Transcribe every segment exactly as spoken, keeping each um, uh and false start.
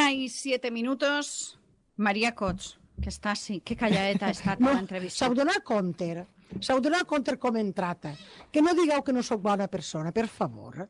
una y siete minutos. Maria Cots, que està així, que calladeta ha estat no, l'entrevista. S'heu donat compte, s'heu donat compte com hem trata. Que no digueu que no sóc bona persona, per favor.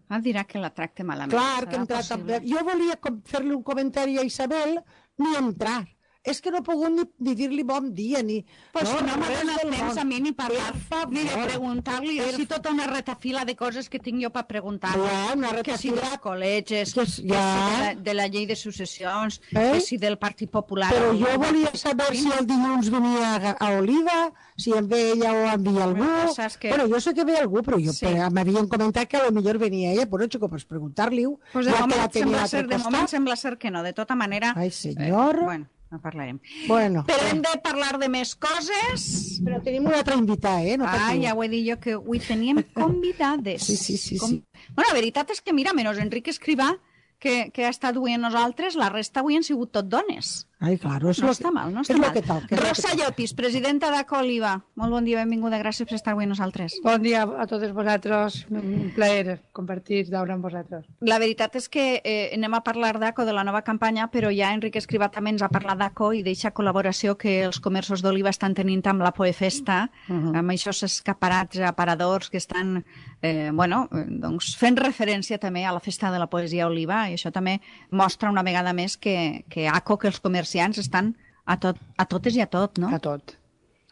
Ah, dirà que la tracte malament. Clar, que em tracta... Jo volia fer-li un comentari a Isabel, ni entrar. És que no he pogut ni, ni dir-li bon dia, ni... Pues no, si no m'ha donat temps món. a mi ni parlar, ni de preguntar-li, així tota una retafila de coses que tinc jo per preguntar. Ja, una retafila... Que si dels col·legis, que, ja. ja. que si de la, de la llei de successions, eh? que si del Partit Popular... Però jo volia saber si el dilluns venia a, a Oliva, si en ve ella o envia algú... Que... Bueno, jo sé que ve algú, però jo sí. m'havien comentat que a lo millor venia ella, però xico, pues preguntar-li-ho. Pues de, moment, sembla ser, de moment sembla ser que no, de tota manera... Ai, senyor... Eh, bueno. No parlarem. Bueno, però hem de parlar de més coses. Però tenim una altra invitada, eh? No ah, ja ho he dit jo, que avui teníem convidades. Sí, sí, sí, Com... sí. Bueno, la veritat és que, mira, menys Enric Escrivà, que, que ha estat avui amb nosaltres, la resta avui han sigut tot dones. Ai, claro, no està mal, no està mal. Tal, Rosa Llopis, presidenta d'Aco Oliva. Molt bon dia, benvinguda, gràcies per estar avui amb nosaltres. Bon dia a totes vosaltres, un plaer compartir d'ara amb vosaltres. La veritat és que eh, anem a parlar d'Aco, de la nova campanya, però ja Enric Escrivà també ens ha parlat d'Aco i d'eixa col·laboració que els comerços d'Oliva estan tenint amb la Poefesta, uh -huh. amb aquests escaparats aparadors que estan eh, bueno, doncs fent referència també a la Festa de la Poesia Oliva, i això també mostra una vegada més que, que Aco, que els comerciants estan a, tot, a totes i a tot, no? A tot.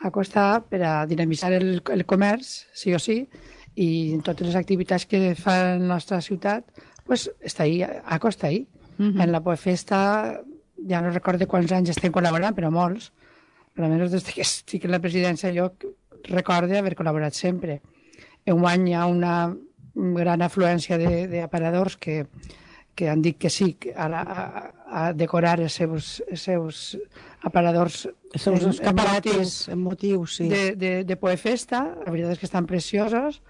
Aco està per a dinamitzar el, el comerç, sí o sí, i en totes les activitats que fa la nostra ciutat, pues està ahí, Aco està ahí. Uh -huh. En la Poefesta, ja no recordo quants anys estem col·laborant, però molts. Almenys des que estic en la presidència jo recordo haver col·laborat sempre. Enguany hi ha una gran afluència d'aparadors que que han dit que sí a, la, a, a decorar els seus, els seus aparadors, els seus escaparates en motius, sí. de, de, de Poefesta. La veritat és que estan preciosos.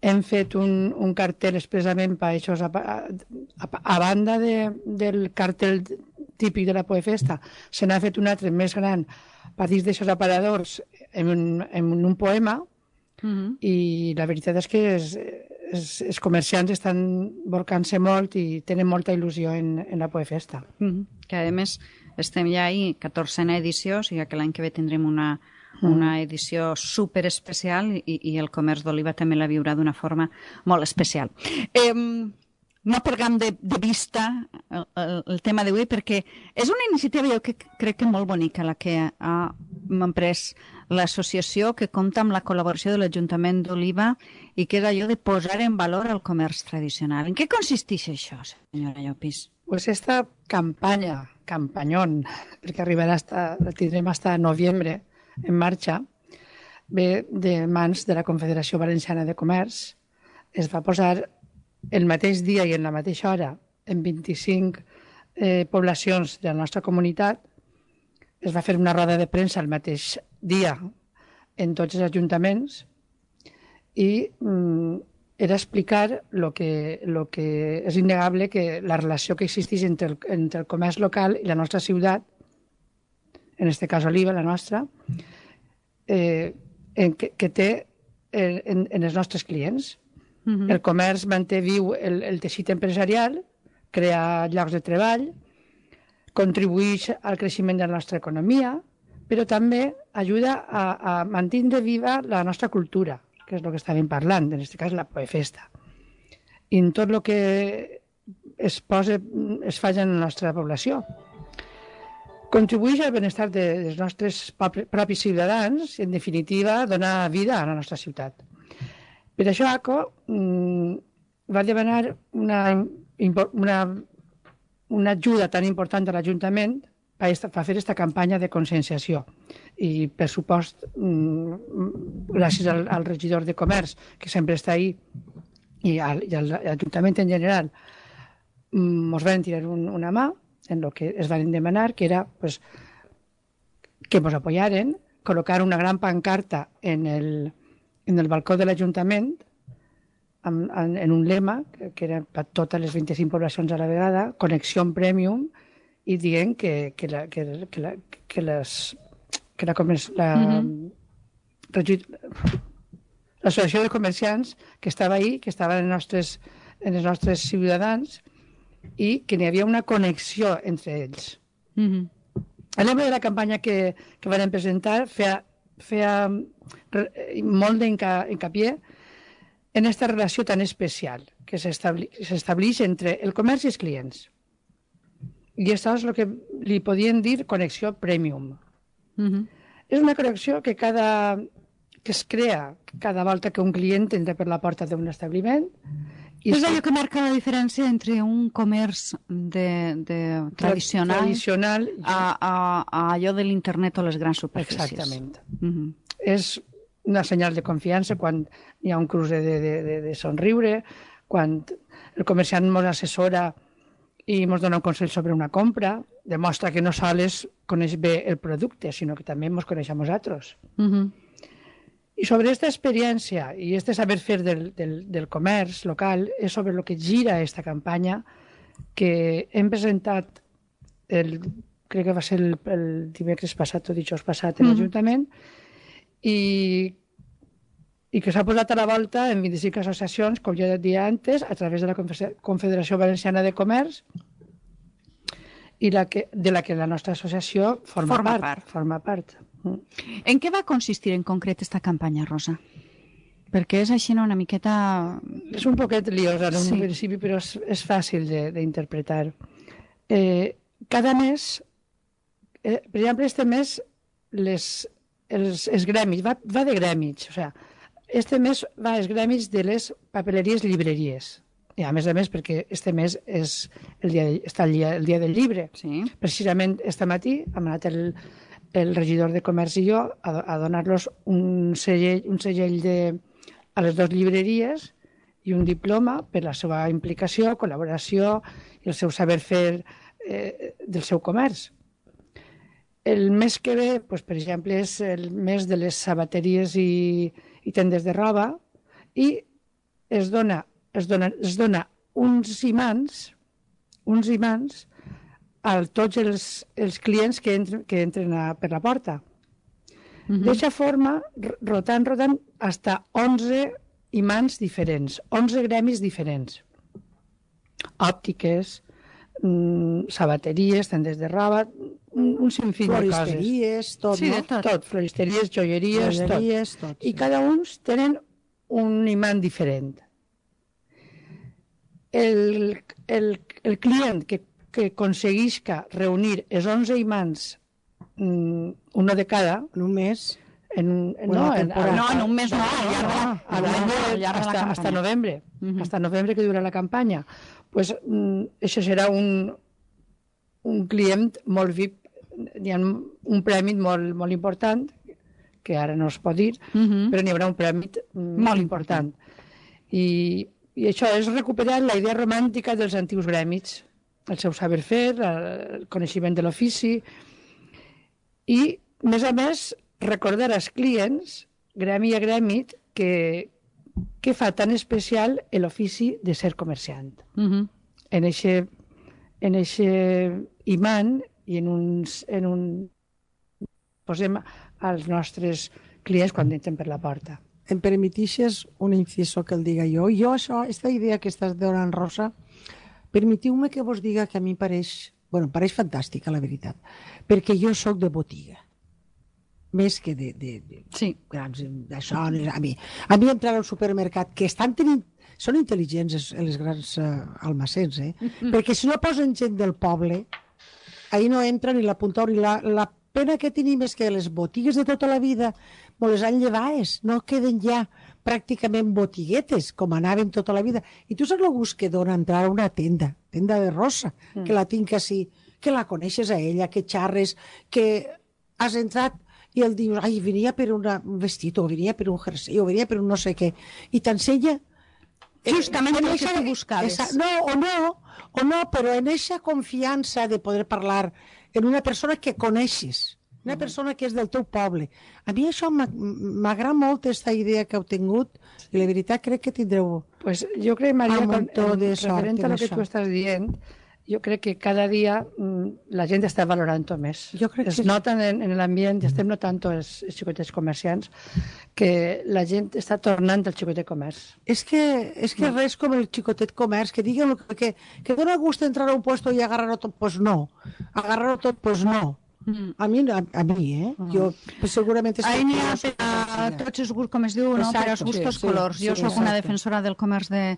Hem fet un, un cartel expressament per això, a, a, a banda de, del cartel típic de la Poefesta, se n'ha fet un altre més gran per dins d'aixòs aparadors en un, en un poema, uh -huh. i la veritat és que és, els, els comerciants estan volcant-se molt i tenen molta il·lusió en, en la Poefesta. Mm -hmm. Que a més estem ja ahí, catorzena edició, o sigui que l'any que ve tindrem una, una edició super especial i, i el comerç d'Oliva també la viurà d'una forma molt especial. Eh, no perdem de, de vista el, el, el tema d'avui perquè és una iniciativa jo que crec que molt bonica la que ha emprès l'associació, que compta amb la col·laboració de l'Ajuntament d'Oliva i que és allò de posar en valor el comerç tradicional. En què consisteix això, senyora Llopis? Pues esta campanya, campanyón, perquè arribarà hasta, la tindrem fins a novembre en marxa, ve de mans de la Confederació Valenciana de Comerç. Es va posar el mateix dia i en la mateixa hora en vint-i-cinc eh, poblacions de la nostra comunitat. Es va fer una roda de premsa el mateix dia en tots els ajuntaments i mm, era explicar lo que, lo que és innegable, que la relació que existeix entre el, entre el comerç local i la nostra ciutat, en aquest cas Oliva, la nostra, eh, en, que, que té en, en els nostres clients. Uh-huh. El comerç manté viu el, el teixit empresarial, crea llocs de treball, contribueix al creixement de la nostra economia, però també ajuda a, a mantenir viva la nostra cultura, que és el que estàvem parlant, en aquest cas la Poefesta. I en tot el que es posa, es fa en la nostra població. Contribueix al benestar de, dels nostres propis ciutadans i, en definitiva, donar vida a la nostra ciutat. Per això, Aco mm, va demanar una, una, una ajuda tan important a l'Ajuntament per fer aquesta campanya de conscienciació. I, per supost, mm, gràcies al, al regidor de Comerç, que sempre està ahí, i, al, i a l'Ajuntament en general, ens mm, van tirar un, una mà en el que es van demanar, que era pues, que ens apoyaren, col·locar una gran pancarta en el en el balcó de l'Ajuntament en, en, en un lema que, que era per totes les vint-i-cinc poblacions a la vegada, connexió premium, i dient que, que, la, que, que, la, que, les, que la, la, mm-hmm. l'associació de comerciants que estava ahí, que estava en els nostres, en els nostres ciutadans, i que n'hi havia una connexió entre ells. Mhm. El lema de la campanya que, que van presentar feia, feia molt d'encapié en aquesta relació tan especial que s'estableix entre el comerç i els clients. I això és el que li podien dir connexió premium. Mhm. És una connexió que, cada, que es crea cada volta que un client entra per la porta d'un establiment. I és allò que marca la diferència entre un comerç de, de tradicional, tradicional a, a, a allò de l'internet o les grans superfícies. Exactament. Mhm. És una senyal de confiança quan hi ha un cruce de, de, de, de somriure, quan el comerciant ens assessora i ens dona un consell sobre una compra, demostra que no sols coneix bé el producte, sinó que també ens coneix a nosaltres. Mhm. I sobre aquesta experiència i este saber fer del, del, del comerç local és sobre el que gira aquesta campanya que hem presentat, el, crec que va ser el, el dimecres passat o dijous passat en l'Ajuntament, i, i que s'ha posat a la volta en vint-i-cinc associacions, com ja deia antes, a través de la Confederació Valenciana de Comerç, i la que, de la que la nostra associació forma, Forma part. part. Forma part. Mm. En què va consistir en concret esta campanya, Rosa? Perquè és així una miqueta... És un poquet liosa en un Sí. principi, però és, és fàcil de- d'interpretar. Eh, cada mes, eh, per exemple, este mes, les, els, els gremis, va, va de gremis, o sea, este mes va als gremis de les papeleries llibreries. I a més a més, perquè este mes és el dia, de, està el dia, el dia del llibre. Sí. Precisament este matí hem anat el, el regidor de comerç i jo a, a donar-los un segell, un segell de, a les dues llibreries i un diploma per la seva implicació, col·laboració i el seu saber fer eh, del seu comerç. El mes que ve, doncs, per exemple, és el mes de les sabateries i, i tendes de roba i es dona, es dona, es dona uns imants, uns imants a tots els, els clients que entren, que entren a, per la porta. Uh -huh. D'eixa forma, rotant, rotant, hasta onze imants diferents, onze gremis diferents. Òptiques, mmm, sabateries, tendes de roba, un, un sinfín de coses. Floristeries, tot, Sí, no? de tot. Tot, floristeries, joieries, Joieries, tot. tot, I sí. cada uns tenen un imant diferent. El, el, el client que, que aconseguisca reunir els onze imants, mm, uno de cada, En un mes. en, en, Una no, en, temporada. No, en un mes no, al llarg de la- a al llarg de- al llarg de la hasta, hasta campanya. novembre, Mhm. hasta novembre que dura la campanya. Pues, mm, això serà un, un client molt V I P, hi ha un premi molt, molt important, que ara no es pot dir, Mhm. però n'hi haurà un premi mm, Molt important. I, I això és recuperar la idea romàntica dels antics gremis, el seu saber fer, el coneixement de l'ofici, i, a més a més, recordar als clients, gremi a gremi, que, que fa tan especial l'ofici de ser comerciant. Mhm. En eixe, en eixe imant i en, uns, en un... posem als nostres clients quan entren per la porta. Em permetixes un inciso que el diga jo? Jo això, aquesta idea que estàs donant, Rosa, permetiu-me que vos diga que a mi em pareix, bueno, em pareix fantàstica, la veritat, perquè jo sóc de botiga, més que de, de, de Sí. grans d'això. A mi, a mi entrar al supermercat, que estan tenint, són intel·ligents els, els grans uh, almacens, eh? Perquè si no posen gent del poble, ahir no entra ni la punta ni la, la pena que tenim és que les botigues de tota la vida me les han llevades, no queden ja pràcticament botiguetes, com anaven tota la vida. I tu saps el gust que dona entrar a una tenda, tenda de Rosa, mm. que la tinc així, que la coneixes a ella, que xarres, que has entrat i el dius, ai, venia per una, un vestit, o venia per un jersei, o venia per un no sé què, i t'ensenya... Justament en el que eixa- tu buscaves. esa- no, o no, o no, però en eixa confiança de poder parlar en una persona que coneixes, una persona que és del teu poble. A mi això m'ag- m'agrada molt, aquesta idea que heu tingut, i la veritat crec que tindreu... Pues jo crec, Maria, Un con, muntó en, de sort referent a en lo que això. tu estàs dient, jo crec que cada dia mm, la gent està valorant-ho més. Jo crec es que... nota en, en l'ambient, estem notant els, els xicotets comerciants, que la gent està tornant al xicotet comerç. És que, és que res com el xicotet comerç, que diguen que, que, que dona gust entrar a un puesto i agarrar-ho tot, pues no. Agarrar-ho tot, pues no. Mm. A mi, a, a mi, eh? Mm. Jo pues, segurament... Ahí n'hi ha per a tots els gustos, com es diu, no? Per als gustos sí, colors. Sí, jo sí, soc una defensora del comerç de,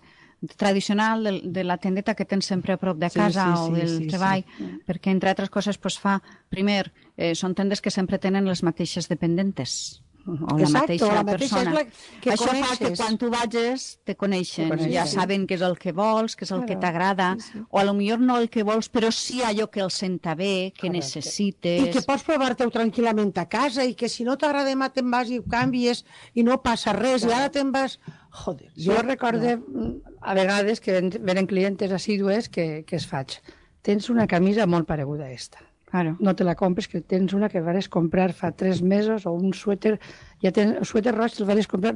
tradicional, de, de la tendeta que tens sempre a prop de casa sí, sí, o del sí, sí, treball, sí. perquè, entre altres coses, pues, fa... Primer, eh, són tendes que sempre tenen les mateixes dependentes. O la Exacte, mateixa o la mateixa persona. la que Això coneixes. fa que quan tu vagis te coneixen, coneixen. ja saben què és el que vols, què és el claro. que t'agrada, sí, sí. o a lo millor no el que vols, però sí allò que els senta bé, que Correcte. necessites. I que pots provar-te-ho tranquil·lament a casa i que si no t'agrada demà te'n vas i ho canvies i no passa res claro. i ara te'n vas... Joder, jo recorde no. a vegades que venen clientes assídues que, que es faig. Tens una camisa molt pareguda a esta. Claro. No te la compres, que tens una que vas comprar fa tres mesos o un suéter, ja tens el suéter roig, el vas comprar,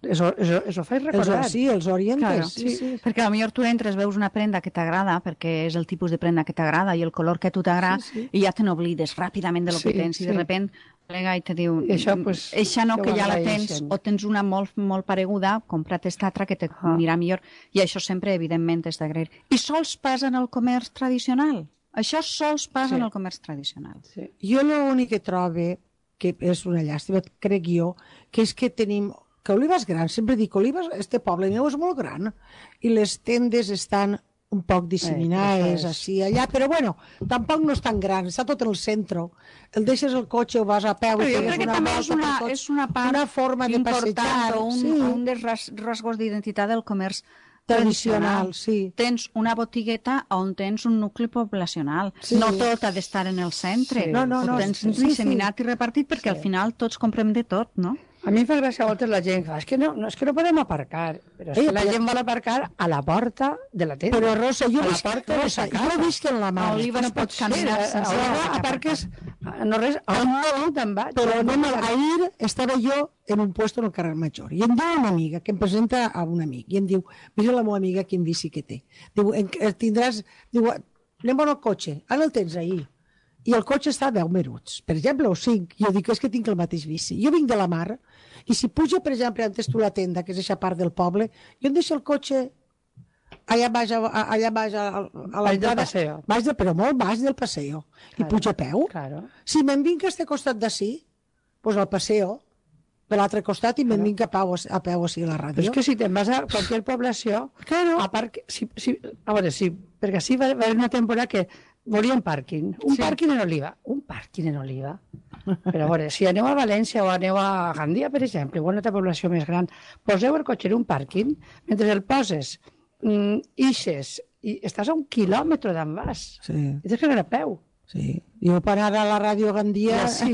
eso, eso, eso fas recordar. Els, sí, els orientes. Claro. Sí, sí. Perquè potser tu entres, veus una prenda que t'agrada, perquè és el tipus de prenda que t'agrada i el color que a tu t'agrada, sí, sí. i ja te n'oblides ràpidament de lo sí, que tens, sí. i de repent plega i te diu, I això, pues, eixa no, que ja la tens, o tens una molt, molt pareguda, compra't esta altra que te ah. anirà millor, i això sempre, evidentment, és d'agrair. I sols passa en el comerç tradicional. Això sols passa sí. en el comerç tradicional. Sí. Jo l'únic que trobo, que és una llàstima, crec jo, que és que tenim... Que Oliva és gran, sempre dic, Oliva, este poble meu és molt gran, i les tendes estan un poc disseminades, eh, així, allà, però bueno, tampoc no és tan gran, està tot en el centre. El deixes el cotxe o vas a peu i jo crec que també és una, és una part una forma de passejar, o un, sí. un dels ras, rasgos d'identitat del comerç tradicional, sí. Tens una botigueta on tens un nucli poblacional. Sí. No tot ha d'estar en el centre. Sí. No, no, no. Ho tens sí, disseminat sí. i repartit perquè sí. al final tots comprem de tot, no? A mi em fa gràcia a voltes la gent que fa, és que no, no, és que no podem aparcar, però és Ei, que la però... gent vol aparcar a la porta de la tenda. Però Rosa, jo, a visc, porta Rosa, jo he vist en la mà. Oliva no pot caminar sense... Oliva aparques, no res, on no te'n vaig. Però anem, ahir estava jo en un puesto en el carrer Major i em diu una amiga que em presenta a un amic i em diu, mira la meva amiga quin bici que té. Diu, tindràs, diu, anem al cotxe, ara el tens ahir. I el cotxe està a deu minuts, per exemple, o cinc. Jo dic, és que tinc el mateix bici. Jo vinc de la mar, i si puja, per exemple, antes tu la tenda, que és aquesta part del poble, jo em deixo el cotxe allà baix, allà baix a, a baix del paseo. Baix de, però molt baix del paseo. Claro, I puja a peu. Claro. Si me'n vinc a este costat d'ací, doncs al paseo, per l'altre costat, i me'n claro. vinc a peu, a peu així a la ràdio. Però és que si te'n vas a qualsevol població, claro. a part, si, si, a veure, sí, perquè així va, va haver una temporada que volien pàrquing, un sí. pàrquing en Oliva, un pàrquing en Oliva. Però a veure, si aneu a València o aneu a Gandia, per exemple, o a una altra població més gran, poseu el cotxe en un pàrquing, mentre el poses, mm, ixes, i estàs a un quilòmetre d'en vas. Sí. I tens que anar a peu. Sí. Jo per anar a la ràdio Gandia... Ja sí.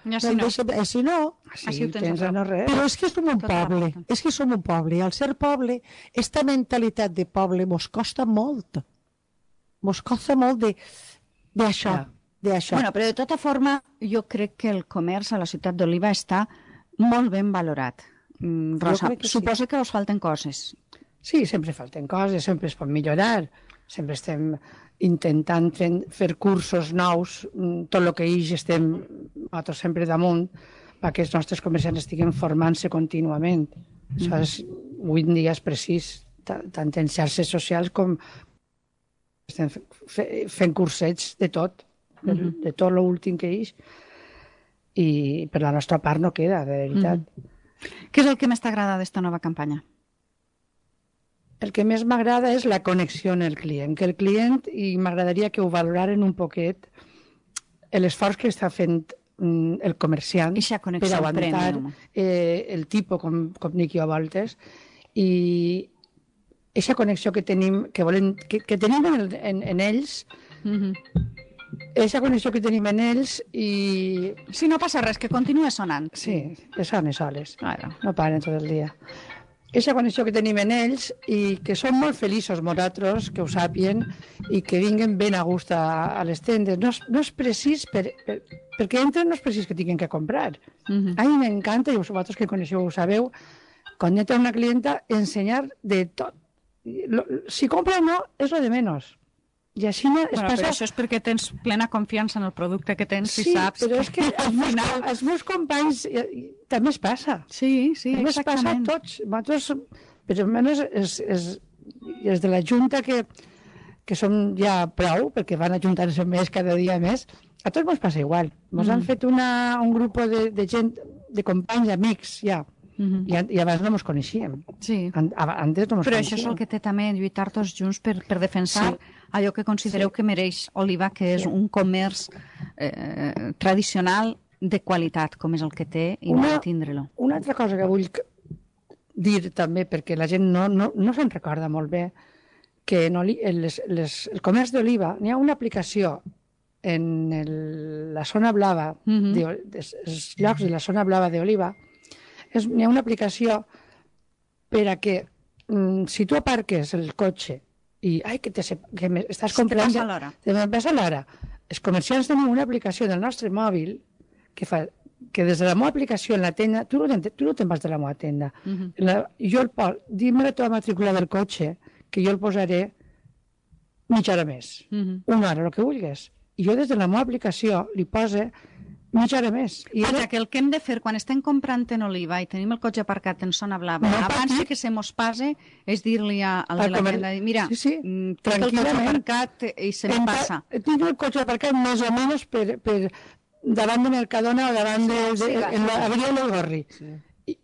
Ja sí, no. Deixa, eh, si no... Sí, sí, tens a no res. Però és que som un poble, és que som un poble, i al ser poble, esta mentalitat de poble mos costa molt. Mos costa molt d'això. Ja. Bueno, però de tota forma, jo crec que el comerç a la ciutat d'Oliva està molt ben valorat. Mm, Rosa, que suposa sí. que us falten coses. Sí, sempre falten coses, sempre es pot millorar. Sempre estem intentant fer, fer cursos nous, tot el que hi estem nosaltres sempre damunt, perquè els nostres comerciants estiguin formant-se contínuament. Mm. Això és, avui en dia és precís, tant en xarxes socials com estem fent cursets de tot, de, mm-hmm. de tot l'últim que és, i per la nostra part no queda, de veritat. Mm-hmm. Què és el que més t'agrada d'esta nova campanya? El que més m'agrada és la connexió amb el client, que el client, i m'agradaria que ho valoraren un poquet, l'esforç que està fent el comerciant per aguantar eh, el tipus com, com dic jo a voltes, i aquesta connexió que tenim, que, volen, que, que tenim en, en, en ells, aquesta mm-hmm. connexió que tenim en ells i... Si no passa res, que continua sonant. Sí, que sonen soles, claro. No paren tot el dia. Aquesta connexió que tenim en ells i que són molt feliços nosaltres, que ho sàpien, i que vinguen ben a gust a, a les tendes. No és, no és precís, per, per, perquè entren no és precís que tinguin que comprar. Mm-hmm. A mi m'encanta, i vosaltres que coneixeu ho sabeu, quan entra una clienta, ensenyar de tot. Si compra o no, és lo de menys. I així es bueno, passa... però això és perquè tens plena confiança en el producte que tens sí, i saps però és que al els meus, final... els meus companys eh, també es passa. Sí, sí, també es passa a exactament. tots. Nosaltres, per almenys, és, és, és de la Junta que, que som ja prou, perquè van ajuntant-se més cada dia més, a tots ens passa igual. Ens mm. han fet una, un grup de, de gent, de companys, amics, ja, Mm-hmm. I, I abans no ens coneixíem. Sí. An, antes no ens Però coneixíem. això és el que té també lluitar tots junts per, per defensar sí. allò que considereu sí. que mereix Oliva, que és sí. un comerç eh, tradicional de qualitat, com és el que té, i una, no tindre-lo. Una altra cosa que vull dir també, perquè la gent no, no, no se'n recorda molt bé, que en oli, les, les, el comerç d'oliva, n'hi ha una aplicació en el, la zona blava, mm-hmm. de, de, els llocs de la zona blava d'oliva, n'hi ha una aplicació per a que mm, si tu aparques el cotxe i ai, que, te, que me, estàs comprant... Te passa l'hora. Te passa l'hora. Els comerciants tenen una aplicació del nostre mòbil que fa que des de la meva aplicació en la tenda, tu no te'n, tu no te'n vas de la meva tenda, uh-huh. la, jo el pos, dime la teva matrícula del cotxe, que jo el posaré mitja hora més, uh-huh. una hora, el que vulguis. I jo des de la meva aplicació li pose mitja hora més. I Vaja, que el que hem de fer quan estem comprant en Oliva i tenim el cotxe aparcat en zona blava, no, abans que se mos passe, és dir-li al de la tenda, mira, sí, sí. tinc el cotxe aparcat i se em passa. Tinc el cotxe aparcat més o menys per, per davant de Mercadona o davant de, de, de en l'Avenida del Gorri. Sí.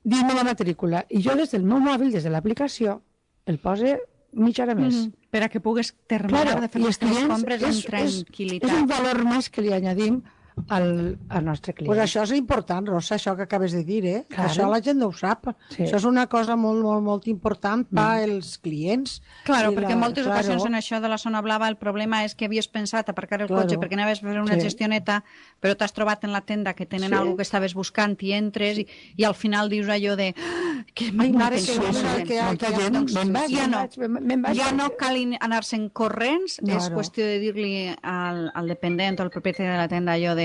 Dime la matrícula. I jo des del meu mòbil, des de l'aplicació, el pose mitja hora més. Mm-hmm. Per a que pugues terminar claro, de fer les teves compres és, amb tranquil·litat. És un valor més que li añadim al, al nostre client. Pues això és important, Rosa, això que acabes de dir, eh? Claro. Això la gent no ho sap. Sí. Això és una cosa molt, molt, molt important per mm. als clients. Claro, perquè la... en moltes claro. ocasions en això de la zona blava el problema és que havies pensat aparcar el claro. cotxe perquè anaves a fer una sí. gestioneta, però t'has trobat en la tenda que tenen sí. alguna que estaves buscant i entres i, i al final dius allò de que Ai, mare, que, que, que, molta gent, doncs, ja no, vaig, ja no cal anar-se'n corrents, claro. és qüestió de dir-li al, al dependent o al propietari de la tenda allò de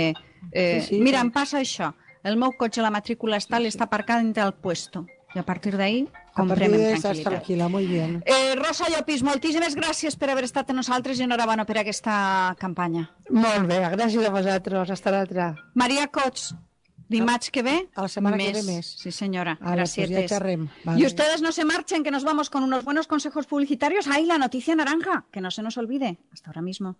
Eh, sí, sí, mira, sí. em passa això. El meu cotxe, la matrícula està, sí, sí. està aparcada entre el puesto. I a partir d'ahí comprem en tranquil·litat. Tranquil·la, molt bé. Eh, Rosa Llopis, moltíssimes gràcies per haver estat amb nosaltres i enhorabona per aquesta campanya. Molt bé, gràcies a vosaltres. Hasta l'altra. Maria Cots, dimarts que ve, a la setmana més. que ve més. Sí, señora. Vale, Gracias. Pues ya vale. Y ustedes no se marchen, que nos vamos con unos buenos consejos publicitarios. ¡Ay, la noticia naranja! Que no se nos olvide. Hasta ahora mismo.